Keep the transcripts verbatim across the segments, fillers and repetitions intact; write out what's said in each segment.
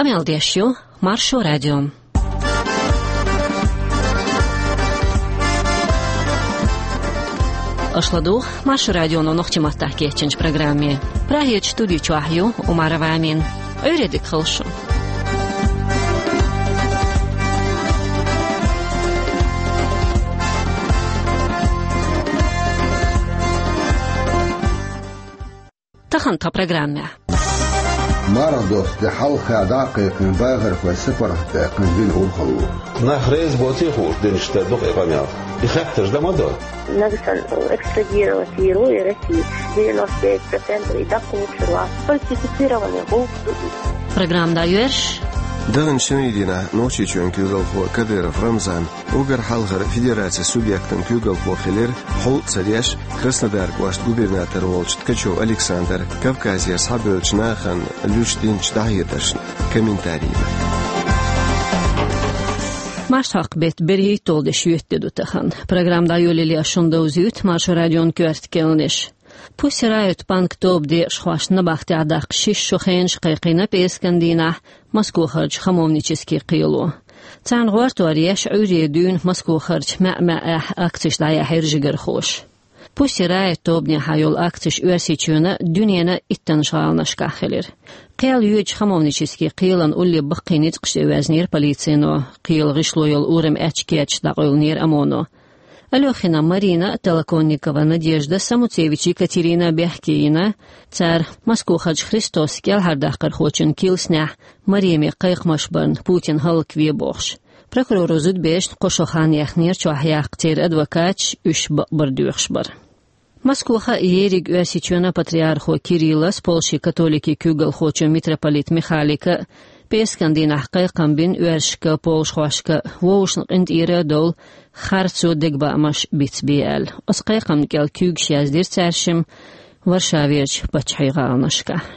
Къамел деш ю Маршо радио. Аша ладугӀу Маршо радионо нохчийн маттахь кечйинчу программе. Прагерчу студи чохь ю Умарова Амина. Ӏуьйре дика хуьлда шун. Тахана тхан программехь. Марха досту де хьалха дӀа а кхайкхина, бахархой сапаргӀат даьккхина дина урхалло. Нах реза боций хууш динчу тӀе дукха и къамел? И хеттарш дан ма до. Надо сан экстрадировать в Герой России. Девяносто девять процентов и документировал. Фальсифицированный гулф. Программа дӀайоьрзуш. Даханчу шинарин дийнахь Нохчийчоьнан куьйгалхо Кадыров Рамзан уггар хьалхара федерацин субъектан куьйгалхо хилира, хьул а ца деш, Краснодар кӀоштан губернатор волчу Ткачев Александр Кавказера схьабевллачу нахана луьйш динчу дӀахьедаршна комментарий. Марсхьокху беттан берхӀитталгӀа де шоьтан де ду тахана. Программа дӀайолале ас шуна довзуьйту Маршо радион коьрта керланаш. Pussy Riot панк тобан декъашхошна набахтехь даккха шишша шо хенаш кхайкхийна пӀераскан дийнахь Москохарчу хамовнически кхело. Царна гӀортор еш, Ӏуьйре дуьйна Москохарчу маьӀ-маьӀӀехь акцеш дӀаяьхьира жигархоша. Pussy Riot тобанехьа йолу акцеш Оьрсийчоьнан а, дуьненан а иттаннаш гӀаланашкахь хилира. Кхел йоьдучу хамовнически кхелан улле баккхий ницкъаш тӀе ваьзнера полицино, кхелан гӀишло йолу урам аьчка кечаш дӀакъевлинера ОМОНо. Алёхина Марина, Толоконникова Надежда, Самуцевич Екатерина бехке йина, цара Москохарчу Христос кӀелхьардаккхархочун килснехь Мареме кхайкхамаш барна, Путин хӀаллакве бохуш. Прокуроро зудаберашна кхо шо хан яьхнера чохь яккха, церан адвокаташ уьш бакъбар доьхуш бара. Москоха а, ерриг Оьрсийчоьнан патриархо Кириллас, Польшин католикийн куьйгалхочо митрополит Михалика а, пӀераскан дийнахь кхайкхам бина оьрсашка, полшхошка, вовшашна къинтӀера а довла, харцо, дегабаамаш бицбе аьлла. Оцу кхайкхамна кӀел куьйгаш яздира цаьршимма Варшаверчу паччахьийн гӀаланашкахь.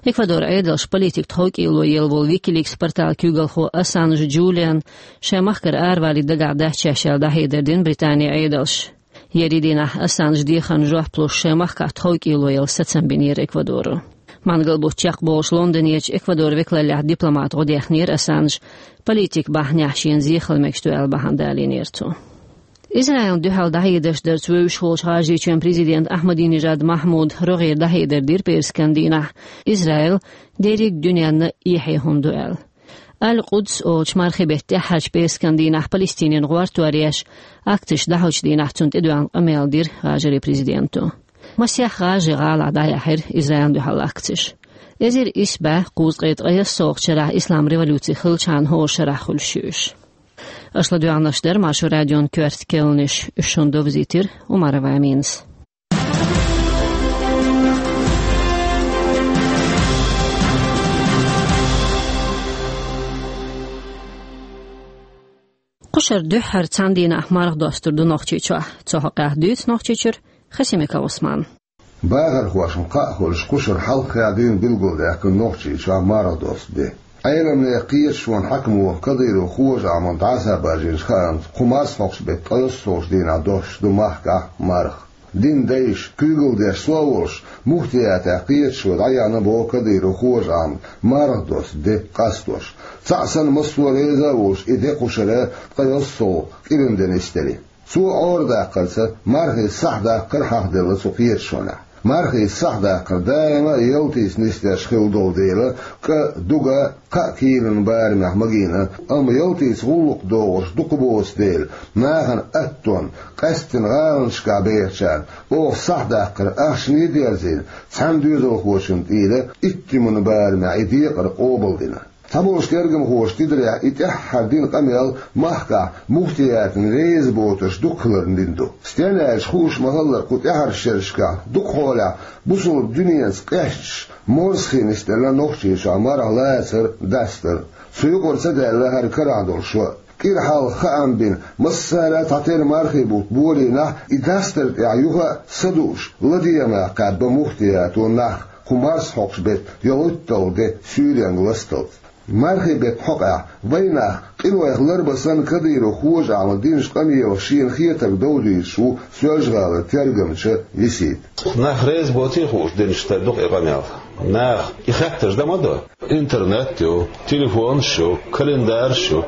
Эквадоран Ӏедалша политикан тховкӀело елла волу Wikileaks порталан куьйгалхо Ассанж Джулиан шайн махкара аравалийта дагахь дац шаьш аьлла дӀахьедар дина Британин Ӏедалша. Ерриг дийнахь Ассанжа дехарна жоп луш шайн махкахь тховкӀело яла сацам бинера Эквадоро. Мангал бутт чекхболуш Лондонерчу Эквадоран векалаллехь дипломат гӀо дехнера Ассанж, политикан бахьанехь шена зехала мегаш ду аьлла бахьана далийнера цо. Израилна дуьхьал дӀахьедарш дарца вевзаш волчу ГӀажарийчоьнан президента Ахьмадинежад Махьмуда рогӀера дӀахьедар дира пӀераскан дийнахь, Израил дерриг дуьненна эхье хӀума ду аьлла. Аль-Къудс олучу мархийн беттан тӀаьххьарчу пӀераскан дийнахь Палестинина гӀортор еш, акцеш дӀахьочу дийнахь цунна тӀедоьгӀна къамел дира ГӀажарийн президенто. Масех гӀажарийн гӀалахь дӀаяьхьира Израилна дуьхьал акцеш. Эзар исс бӀе кхузткъе ткъайоьссалгӀачу шарахь ислам революци хиллачхьана хӀора шарахь хуьлуш ю уьш. Аша ладоьгӀнарш дара Маршо радион коьрта керланаш, уьш шуна довзийтира Умарова Аминас. Кхушара дуьххьара цхьана дийнахь марха достур ду Нохчийчохь. Цу хьокъехь дуьйцу Нохчийчуьра Хасимиков Ӏусмана. Бахархошна кхаъ хуьлуш, кхушара хьалххе дуьйна билгалдаьккхина Нохчийчохь марха досту де. Ӏеламнехан кхеташонан хьаькамо Кадыров Хожа-Ахьмад дӀасабаржийначу хаамца, кху марсхьокху беттан ткъайоьссалгӀачу дийнахь достуш ду махкахь марха. Динан дайша, куьйгалла деш сов волуш, муфтиятехь кхеташо дӀаяьхьна боху Кадыров Хожа-Ахьмада марха досту де къастош. Цхьаъ санна массо а реза а волуш, и де кхушара ткъайоьссалгӀа кӀиран де нисделира. Цо Ӏорадаккхарца мархин сахьт даккхар хьахделла цу кхеташонехь. Мархин сахьт даккхар даима а ялтица нисдеш хилла долу дела, кӀа, дуга кхаа килан барамехь магийна, амма ялтица гӀуллакх дохуш дукха боцу дела, нахана аттонна, къаьсттина гӀаланашкахь бехачарна оха сахьт даккхар ахчане а дерзийна, цхьана доьзалхочунна тӀера иттиман барамехь и декъар къобалдина. Цхьаболчу тергамхоша тидарехь, и тӀаьххьара дина къамел махкахь муфтиятна реза боцурш дукха хиларна дина ду. Стенна аьлча, хууш ма-хиллара, кху тӀаьххьарчу шерашкахь дукха хьолехь бусалба дуьненца къаьсташ, морсхий нисделла Нохчийчохь марха лацар, дастар. Цу юкъара ца даьлла хӀара карахь долу шо. КӀира хьалха хаам бина, массара а цхьатерра мархий бутт болийнахь, и дастар тӀехь юха а са дууш, ладегӀамехь кхаьбна муфтиято нах, кху марсхьокху беттан ткъайоьссалгӀа де суьйренга ласталц. Мархий беттан хьокъехь вайн нах къинойх ларбан санна Кадыров Хожа-Ахьмада динчу къамелах шена хетарг довзуьйтуш ву Соьлжа-ГӀалара тергамча Йисита. Нах реза боций хууш динчу тӀе дукха и къамел? Нах и хаттарш дан ма до. Интернет ю, телефонаш ю, календараш ю.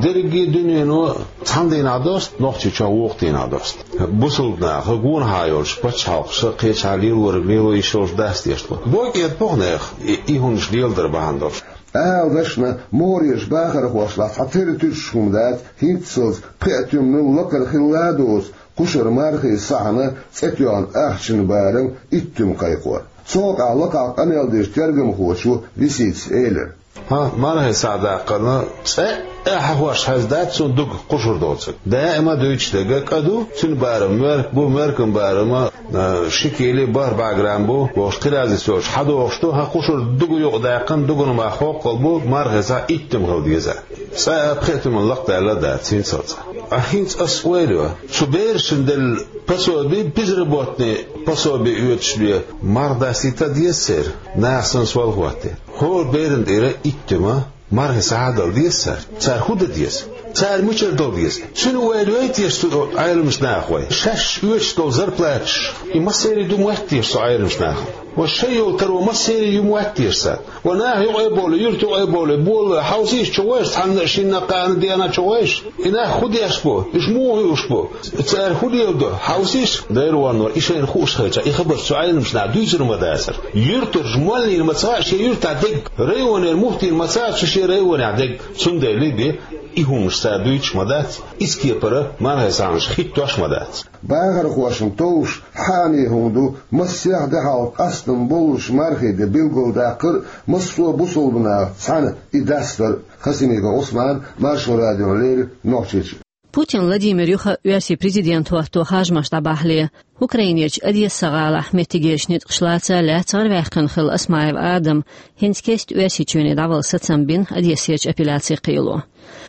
Дерриге дуьнено цхьана дийнахь доста, Нохчийчохь вукху дийнахь доста. Бусалба наха гонахьа йолчу пачхьалкхаша кхечахьа лелориг лело йиш йолуш дац дешна. Боккъе а боху нехан и, и хӀуманаш леладар бахьана долуш. Ала дашна, мореш бахархошлахь цхьа тера туьсуш хӀума дац, хӀинццалц пхеа туьма лакхара хилла а доцу, кхушара мархин сахьтана цӀе тоьхна ахчанан барам итт туьма кхайкхор. Цу хьокъехь лакхахь къамел дечу тергамхочо Лисицас элира: «Хьан мархин сахьт даккхарна цӀе а хьахош хьаьздац цунна дуга кхушар доцург. Даима дуьйцуш дерг кӀа ду, цуьнан барам моьрк бу, моьркан барам а, ши кили бархӀ бӀе грамм бу, бохуш кхин разница йоцуш хьадохуш ду, хьан кхушар дуга юкъадаьккхина, дугана мах хоккхал бу, мархин сахьт итт туьма хила деза. ЦӀа а пхеа туьмана лакхадаьлла а дац хӀинццалц». Ткъа хӀинца ас ойла йо, цу берашна делла пособи, безработный пособи оьцуш бен, марха дастийта а деза церан, наха санна сол хӀоттийна. ХӀора берана тӀера итт туьма мархин сахьт а дала деза цара. Цара хӀун дан деза? Цара мичара дала деза? Цуьнан ойла йой теша цу Ӏеламчу наха вай? Шаьш оьцуш долу зарплаташ, и массерий ду моьтту теша цу Ӏеламчу нахана? Вай шайн йолу таро массерий ю моьтту теша царна? Вай наха юкъа а бовлий, юьрта юкъа а бовлий, болалой, хьовсийша, чу гӀойша, цхьанна а шинна а кхаанна а деана чу гӀойша. И нах хӀун деш бу? Уьш муха хууш бу? Цара хӀун леладо? Хьовсийша, Дела ванор, и шайна хууш хилча, и хабарш цу Ӏеламчу наха дуьйцур ма дацара. Юьртарчу моллина ма ца хаьа шен юьртахь дерг, районера муфтийна ма ца хаьа цу шен районехь дерг. Цундела бен, и хӀуманаш цара дуьйцуш ма дац, иза кепара мархин сахьташ хӀиттош ма дац. Бахархошна товш хьанехьа хӀума ду, массех де хьалха къастам боллуш мархин де билгалдаккхар а, массо а бусалба нахаца цхьаьна и дастар а. Хасимиков Ӏусман, Маршо радиона леррина, Нохчийчоь. Путин Владимир юха оьрсийн президент хӀотто харжамаш дӀабахьале, Украинерчу Одесса-гӀалахь меттигерчу ницкъаша лаца лаьцна гӀарваьккхина хилла Осмаев Адам хӀинца кеста Оьрсийчоьне дӀавала сацам бина Одессерчу апелляцин кхело.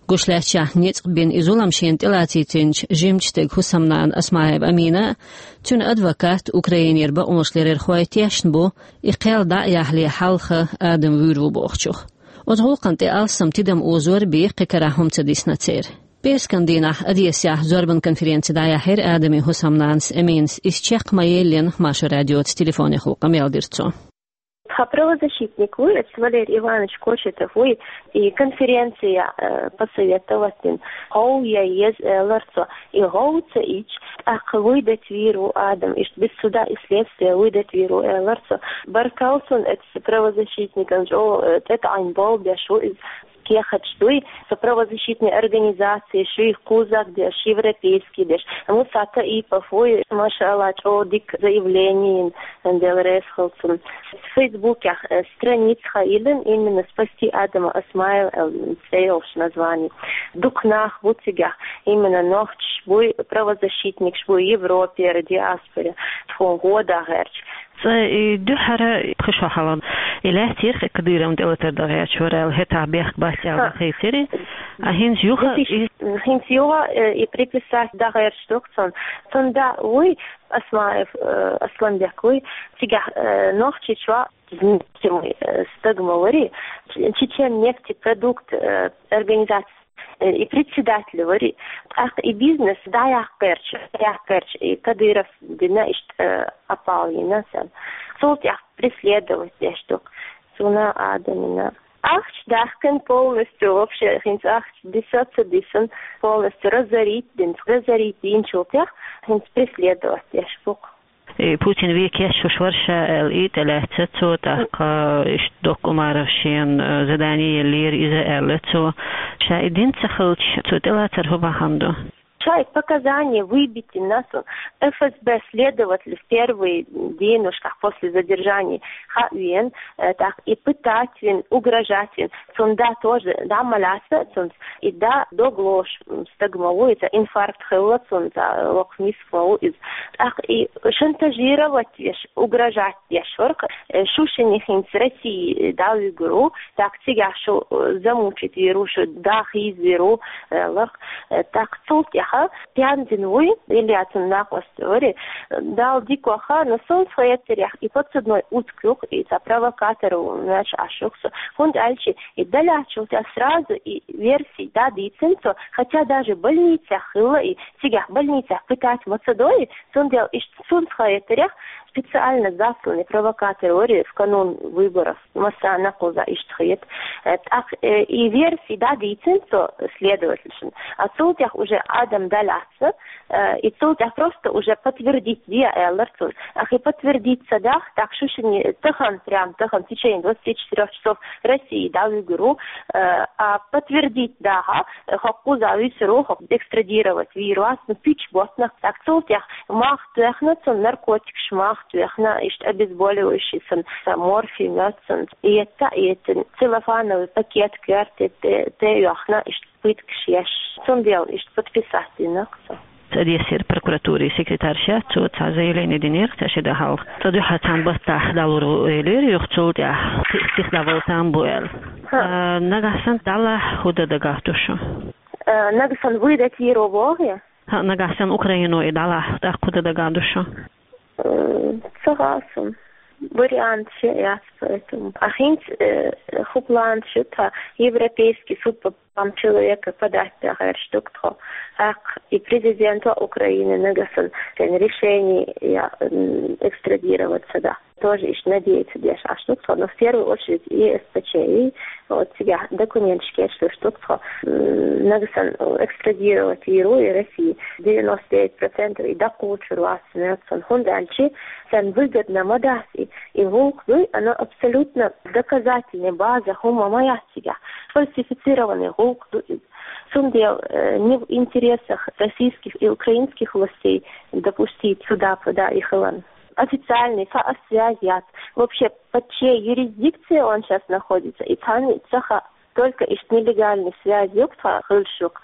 Гуш лаьттачохь, ницкъ бина и зулам шена тӀелацийтинчу жимачу стеган хӀусамнана Осмаева Амина а, цуьнан адвокат а Украинера бакъонашларъярхой тешна бу, и кхел дӀа а яхьале хьалха Адам вуьйр ву бохучух. Оцу гӀуллакхна тӀе алссам тидам озор а бен, кхин карахь хӀума ца дисна церан. ПӀераскан дийнахь Одессехь зорбан конференци дӀаяьхьира Адаман хӀусамнанас Аминас, иза чекх ма-еллина, Маршо радиоца телефонехула къамел дира цо. Тхан правозащитник вуй, эцу Валерий Иванович Кочетов вуй, и конференция, э, посоветовать дина, гӀовгӀа ян еза, элира цо, и гӀовгӀа ца йича, тӀаккха выдать вийр ву Адам, иштта без суда и следствия выдать вийр ву, элира цо. Баркалла цунна, эцу правозащитникана, чӀогӀа, э, тӀетаӀийна болх беш ву иза. Кехаташ дуй, со правозащитный организацеш юй, кхузахь деш, европейский деш. Муса Таипов вуй, машаАллахӀ, чӀогӀа дика заявлени йина, Дела реза хуьлда цунна. Фейсбукехь, э, страница хан йиллина, именно «Спасти Адама Осмаева» аьлла цӀе йолуш название. Дукха нах бу цигахь, именно нохчаш буй, правозащитникаш буй Европера, диаспоре, тхуна гӀо дан гӀерташ. Цкъа и дуьххьара пхи шо хьалха и лаьцна йира-кх и Кадыровн тӀелатар дан гӀерташ вара аьлла, хӀетахь бехк бац аьлла дӀахайсира. А хӀинца юха и... ХӀинца юха, э, и приписать дан гӀерташ ду-кх цунна. Цуьнан да вуй, Осмаев, э, Асланбек вуй, цигахь, э, Нохчийчохь нефтяной, э, стаг ма варий, Чечен нефтепродукт, э, организация, э, и председатель варий. ТӀаккха и бизнес дӀаяккха гӀерташ, дӀаяккха гӀерташ, и Кадыров дина иштта, э, опал йина цунна. Цул тӀаьхьа преследовать деш ду-кх цунна, Адамна. Ахча даьхкина полностью, вообще, хӀинца ахча дисса ца дисина, полностью разорить дина. Разорить дийначул тӀаьхьа хӀинца преследовать деш бу-кх. И Путин вен кечвеш вара ша аьлла, и тӀелаьцна цо, тӀаккха иштта доккха Умаров шена, э, задание еллера иза аьлла цо. Ша и дина ца хилча, цо тӀелацар хӀун бахьана ду? Ша и показания выбить йина цунна, ФСБ следователь в первый денушках после задержания хьавеана, э, тӀаккха и пытать вина, угрожать вина. Цуьнан да тоже дӀа ма лаьцна цуьнца, и да дог лоруш, м, стаг ма ву иза, инфаркт хилла цуьнан, цхьа локху миска ма ву иза. ТӀаккха и шантажировать деш, угрожать деш вара-кх, э, шу шуьнан хӀинца Россия дӀавуьгур ву, тӀаккха цигахь шу, э, замучить вийр ву, шу дӀахийзавийр ву, э, аьлла-кх. Э, тӀаккха цул тӀаьхьа пхиъ дийнахь вуй, Илья цуьнан накъост варий, Далла дика ваха, но суна хетарехь, и подсудной утка ю-кх, и цхьа провокатор ву моьттуш Ӏаш ю-кх со. ХӀунда аьлча и дӀалаьцначул тӀаьхьа сразу и версий дӀадийцина цо, хотя даже больницехь хилла и, цигахь больницехь пытать ма ца до и, цундела иштта суна хетарехь, Специально засланный провокатор вар из в канун выборов, массанахьа кхузахь иштта хета. Э, тӀаккха, э, и версия дӀадийцина цо следовательшна. А цул тӀехьа уже Адам дӀалаьцна, э, и цул тӀехьа просто уже подтвердить де аьлар цунна. Ахи подтвердить ца дахь, так шу шине тахан, прям тахан, в течение двадцати четырёх часов России дӀавуьгур ву, э, а подтвердить дахь, э, хӀокхуза висар ву, хӀокху экстрадировать вийр вац, ну, пич боттанах, так цул тӀехьа мах тоьхна, цунна наркотикаш мах тоьхна, иштта обезболивающий сан, сан морфий моьтту сан, и это, и это целлофановый пакет коьрта тӀе, тӀе йоьхна, иштта пыткаш еш. Цундела иштта подписать динарг цо. Одессера прокуратурин секретарша, цо цхьа заявление динера, цхьа ши де хьалха. Цо дуьххьара цхьана баттахь дӀалур ву элира, юха цул тӀаьхьа сих дӀавала там бу аьлла. Ха. А, нагахь санна дӀалахь хӀун дан дагахь ду шун? Э, нагахь санна выдать йийр ву боху я? ХӀаъ, нагахь санна Украино и дӀалахь, тӀаккха хӀун дан дагахь ду шун? Э, ца хаьа суна. Вариант шен яц, поэтому. А хӀинца, э, хӀун план шу тхан, Европейский суд по правам человека подать дагахь ду тхо. ТӀаккха и президента Украины нагахь санна, кхин решение я, м, экстрадировать ца дахь. Тоже иштта надеяться деш Ӏаш ду тхо, но в первую очередь и С П Ч, и вот цигахь документаш кечлуш ду тхо. М, нагахь санна, э, экстрадировать йийр ву и России. Девяносто девять процентов и дӀакхочур вац цунна, хӀунда аьлча царна выгодно ма дац и, и гӀуллакх ду, оно абсолютно доказательная база хӀума ма яц цигахь. Фальсифицированный гӀуллакх ду иза. Цундела, э, не в интересах российских и украинских властей допустить сюда, сюда и хилар. Официальный фа-, связь яц. Вообще, под чьей юрисдикцией он щас находится, и цхьанна ца хаьа, только иштта нелегальный связь юкъа тхан хуьлуш ю-кх.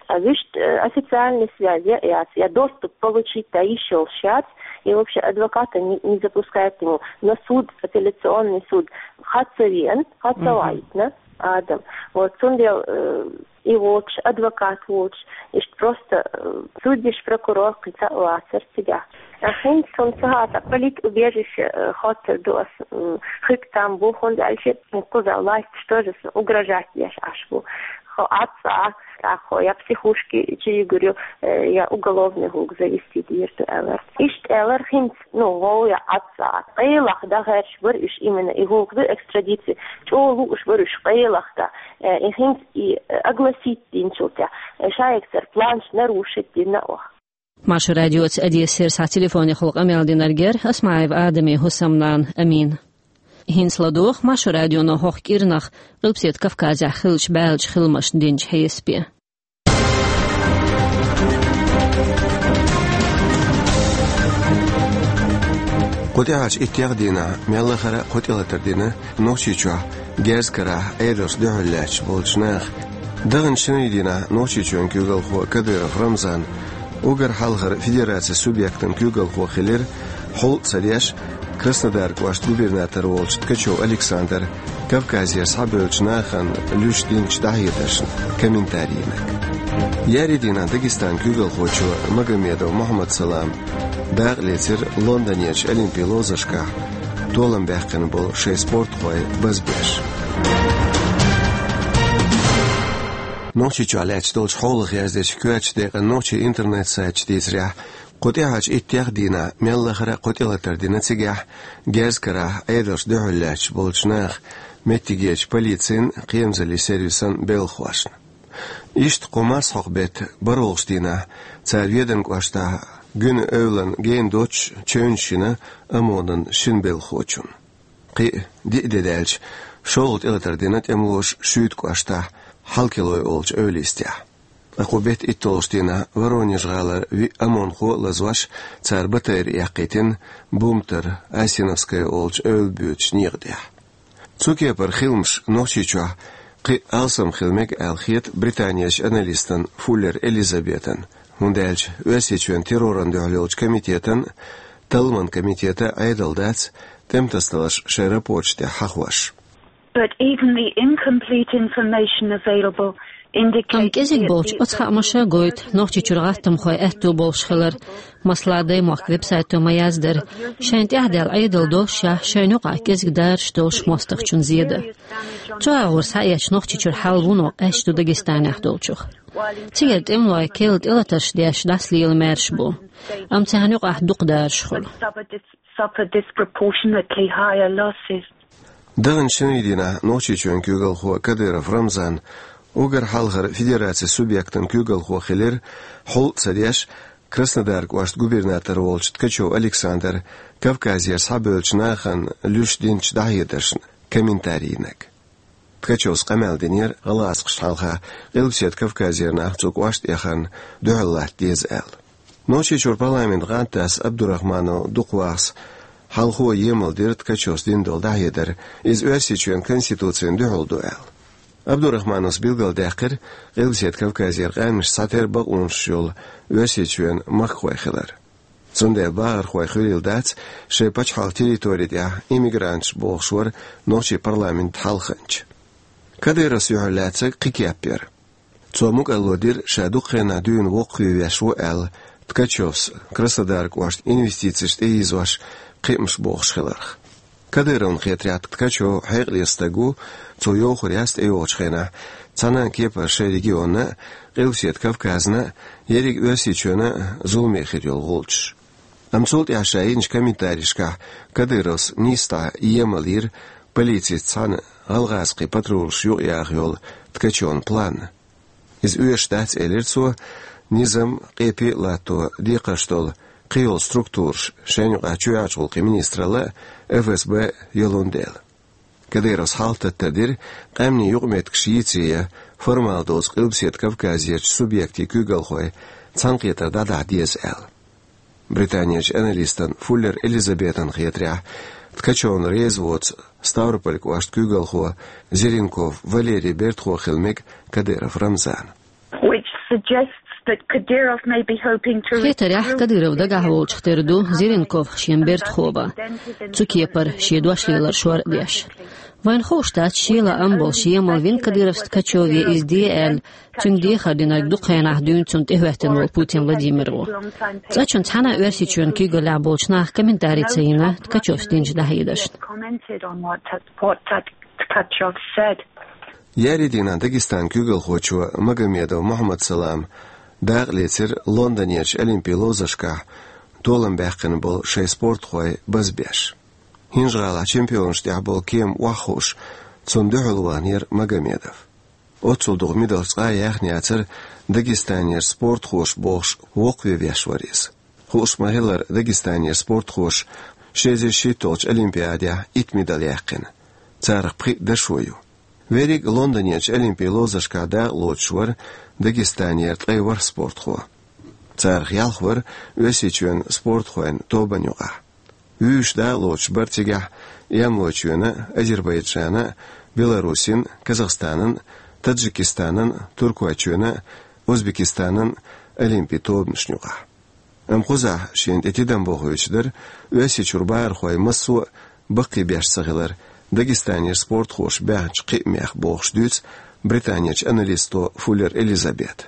А вуьшта, э, официальный связь я яц, я доступ получить дан йиш йолуш яц, и вообще адвоката не, не запускает ему на суд, апелляционный суд. Хьа ца веана, хьа ца вайтина Адам. Вот, цундела, э, и воцуш, адвокат воцуш, иштта просто, э, судьяш, прокурор кхин ца а вацара цигахь. А хӀинца суна ца хаьа, политубежище, э, хоттур ду ас, м, хиг там бу, хӀунда аьлча кхуза власташ тоже суна угрожать деш Ӏаш бу. Хьо Ӏад ца Ӏа, тӀаккха хьо я психушке чу йигур ю, э, я уголовный гӀуллакх завести дийр ду аьлла. Иштта аьлар хӀинца, ну, гӀовгӀа я Ӏад ца Ӏа. Къайлаха дан гӀерташ бара уьш именно и гӀуллакх ду экстрадиция. ЧӀогӀа лууш бара уьш къайлаха дан. Э, и хӀинца и, э, огласить динчул тӀехь, э, шайгара планаш нарушить дина оха. Маршо радиоца Одессера схьа телефонехула къамел динарг яра Асмаев Адаман хӀусамнана Амина. ХӀинца ладогӀа Маршо радионо хӀокху кӀирнах Къилбаседа Кавказехь хиллачу баьллачу хиламашна динчу хьесапе. Кху тӀаьхьарчу иттех дийнахь мел лахара а кхо тӀелатар дина Нохчийчохь герз карахь Ӏедалшна дуьхьал лаьтташ болчу наха. Даханчу шинарин дийнахь Нохчийчоьнан куьйгалхо Кадыров Рамзан, уггар хьалхара федерацин субъектан куьйгалхо хилира, хьул а ца деш, Краснодар кӀоштан губернатор волчу Ткачев Александр, Кавказера схьабевллачу нахана луьйш динчу дӀахьедаршна комментарийниг. Еарин дийнахь Дагестанан куьйгалхочо Магомедов Мухьаммад-Салам дакъа лецира Лондонерчу олимпийн ловзаршкахь толам баьккхина болу шайн спортхой базбеш. Нохчийчохь лаьтташ долчу хьолах яздечу коьртачу декъан нохчийн интернет-сайташа дийцарехь, кху тӀаьхьарчу иттех дийнахь мел лахара а кхо тӀелатар дина цигахь герз карахь Ӏедалшна дуьхьал лаьтташ болчу наха, меттигерчу полицин, кхерамзаллин сервисан белхахошна. Иштта кху марсхьокху беттан бархӀалгӀачу дийнахь цара Веданан кӀоштахь Гуьнан эвлана гена доццуш чевнаш йина ОМОНан шина белхахочунна. Кхин а диъ де даьлча, шолгӀа тӀелатар дина тӀемалоша Шуьйта кӀоштахь Хьалкилой олучу эвла йистехь. Ткъа кху беттан итталгӀачу дийнахь Воронеж-гӀалара виъ ОМОНхо а лазош, цара батарейн эккхийтина Бумтара Осиновская олучу эвла боьдучу некъа тӀехь. Цу кепара хиламаш Нохчийчохь кхин а алсам хила мега аьлла хета Британерчу аналистана Фуллер Элизабетана, хӀунда аьлча Оьрсийчоьнан террорна дуьхьал йолчу комитетан а, талламан комитетан а Ӏедал дац, тӀематасадаларш шайн рапорташ тӀехь хьахош. But even the incomplete information available indicates... Амма кӀезиг болчу оцу хаамаша гойту Нохчийчуьра гӀаттамхойн аьтто болуш хилар. Масала, Даймохк веб-сайто ма-яздара, шайна тӀаьхьадаьлла Ӏедал доллушехь, шайна юкъахь кӀезиг дараш долуш мостагӀчунна зен дан. Цу агӀор схьаэцча, Нохчийчуьра хьал вуно къаьсташ ду Дагестанехь долчух. Цигара тӀемалой керла тӀелатарш деш дӀасалела маьрша бу. Амма царна юкъахь дукха дараш хуьлу. suffer disproportionately higher losses. Даханчу шинарийн дийнахь Нохчийчоьнан куьйгалхо Кадыров Рамзан уггар хьалхара федерацин субъектан куьйгалхо хилира, хьул а ца деш, Краснодар кӀоштан губернатор волчу Ткачев Александра Кавказера схьабевллачу нахана луьйш динчу дӀахьедаршна комментари йинарг. Ткачевс къамел динера гӀалгӀазкхашна хьалха Къилбаседа Кавказера нах цу кӀоштан эхарна дуьхьал латта деза аьлла. Нохчийчуьра парламентан гӀантдас Абдурахманов Дукхавахас хьалхо емал дира Ткачевс дина долу дӀахьедар, иза Оьрсийчоьнан Конституцина дуьхьал ду аьлла. Абдурахмановс билгалдаьккхира, Къилбаседа Кавказера къаьмнашца цхьатерра бакъонаш йолу Оьрсийчоьнан махкахой хилар. Цундела бахархой хуьлийла дац шайн пачхьалкхан территори тӀехь иммигранташ бохуш вара нохчийн парламентан хьалханча. Кадыровс юьхьарлаьцнарг кхин кеп яра. Цо мукӀарло дира, ша дукха хенахь дуьйна воккхаве веш ву аьлла, Ткачевс Краснодар кӀоштан инвестицеш тӀеийзош кхиамаш бохуш хиларх. Кадыровна хетарехь, Ткачев хьекъале стаг ву, цо йовхар яц тӀейогӀучу хенахь цхьана а кепара шайн регионна а, Къилбаседа Кавказна а, ерриг Оьрсийчоьнна а зуламе хир йолу гӀулчаш. Амма цул тӀаьхьа ша йинчу комментаришкахь Кадыровс нийсса дӀа емал йира полицица цхьаьна гӀалгӀазкхийн патрулаш юкъаяха йолу Ткачевн планна. Иза оьшуш дац, элира цо, низам, къепе а латто декхарш долу кхин йолу структураш, шайна юкъахь чоьхьарчу гӀуллакхийн министралла а, ФСБ а йолун дела. Кадыровс хьалхататтар дира, къаьмнийн юкъаметтигаш йийцае, формал доцу Къилбаседа Кавказерчу субъектийн куьйгалхой цхьаьнакхетар дӀадахьа деза аьлла. Британерчу аналистан Фуллер Элизабетан хетарехь, Ткачевна реза воцу Ставрополь кӀоштан куьйгалхо Зеренков Валерий бертахо хила мега Кадыров Рамзана. Which suggests that Kadyrov may be hoping to Хетарехь, Кадыров дагахь волчух тера ду Зеренков шен бертахо бан, цу кепара шен дош лелар шор а деш. Вайна хууш дац, шен лаам болуш емал вина Кадыровс Ткачеве иза де аьлла, цуьнга дехар динарг дукха хенахь дуьйна цунна тӀехӀоьттина волу Путин Владимир ву. Цкъачунна цхьана а Оьрсийчоьнан куьйгаллехь болчу наха комментари ца йина Ткачевс динчу дӀахьедаршна. Commented on what Tat-, what Tat-, Tkachov said. Еарин дийнахь Дагестанан куьйгалхочо Магомедов Мухьаммад-Салама дакъа лецира Лондонерчу Олимпийн ловзаршкахь толам баьккхина болу шайн спортхой базбеш. ХӀинжа-ГӀалахь чемпионашна тӀехь болу кема охьахууш, цунна дуьхьал ваханера Магомедов. Оццул дукха медалш цкъа а яьхна яцара Дагестанера спортхоша бохуш, воккхаве веш вара иза. Хууш ма-хиллара, Дагестанера спортхоша ши эзар шийтталгӀачу Олимпиадехь итт медаль яьккхина. Царах пхиъ дашо ю. Верриг а Лондонерчу Олимпийн ловзаршкахь дакъа лоцуш вара Дагестанера ткъе ворхӀ спортхо. Царах ялх вара Оьрсийчоьнан спортхойн тобанна юкъахь. Вуьйш дакъа лоцуш бара цигахь Ямлойчоьнан а, Азербайджанан а, Беларусин а, Казахстанан а, Таджикистанан а, Туркойчоьнан а, Узбекистанан а олимпийн тобанашна юкъахь. Амма кхузахь шена тӀе тидам бохуьйтуш дара Оьрсийчуьра бахархой массо а баккхийбеш ца хилар Дагестанера спортхоша баьхначу кхиамех, бохуш дуьйцу Британерчу аналисто Фуллер Элизабета.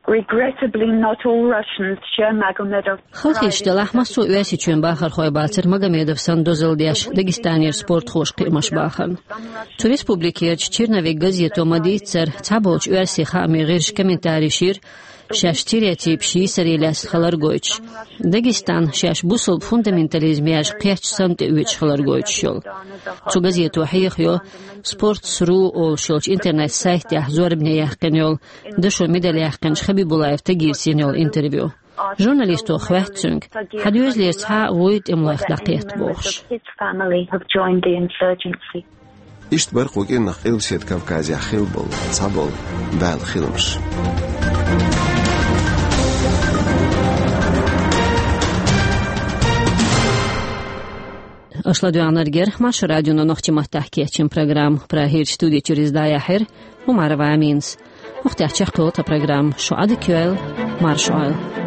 Regrettably, not all Russians share Magomedov's Халахеташ делахь, массо а Оьрсийчоьнан бахархой бацара Магомедов санна дозалла деш Дагестанера спортхоша кхиамаш бахарна. Цу республикерчу «Черновик» газето ма-дийццара, цхьаболчу оьрсийн хаамийн гӀирсаша комментареш йира, шаьш стереотипаш йийсаре лаьцна хилар гойтуш. Дагестан шаьш бусалба фундаментализм яьржа кхеттачу санна тӀеоьцуш хилар гойтуш йолу. Цу газето хьехайо, «Спортс ру» олуш йолчу интернет-сайтехь зорбане яьккхина йолу, дашо медаль яьккхинчу Хабибулаев Тагирца йина йолу интервью. Журналисто хоьтту цуьнга, хьан доьзалера цхьа а вуй тӀемалойх дӀакхетта бохуш. His family have joined the insurgency. Иштта бара кху кӀирнах Къилбаседа Кавказехь хилла болу цхьаболу бӀаьла хиламаш. Аша ладоьгӀнарг яра Маршо радион нохчийн маттахь кечйина программа. Прагерчу студи чуьра иза дӀаяьхьира Умарова Аминас. ХӀокху тӀехь чекхйолу тхан программа. Шу Ӏадика йойла, марша Ӏойла.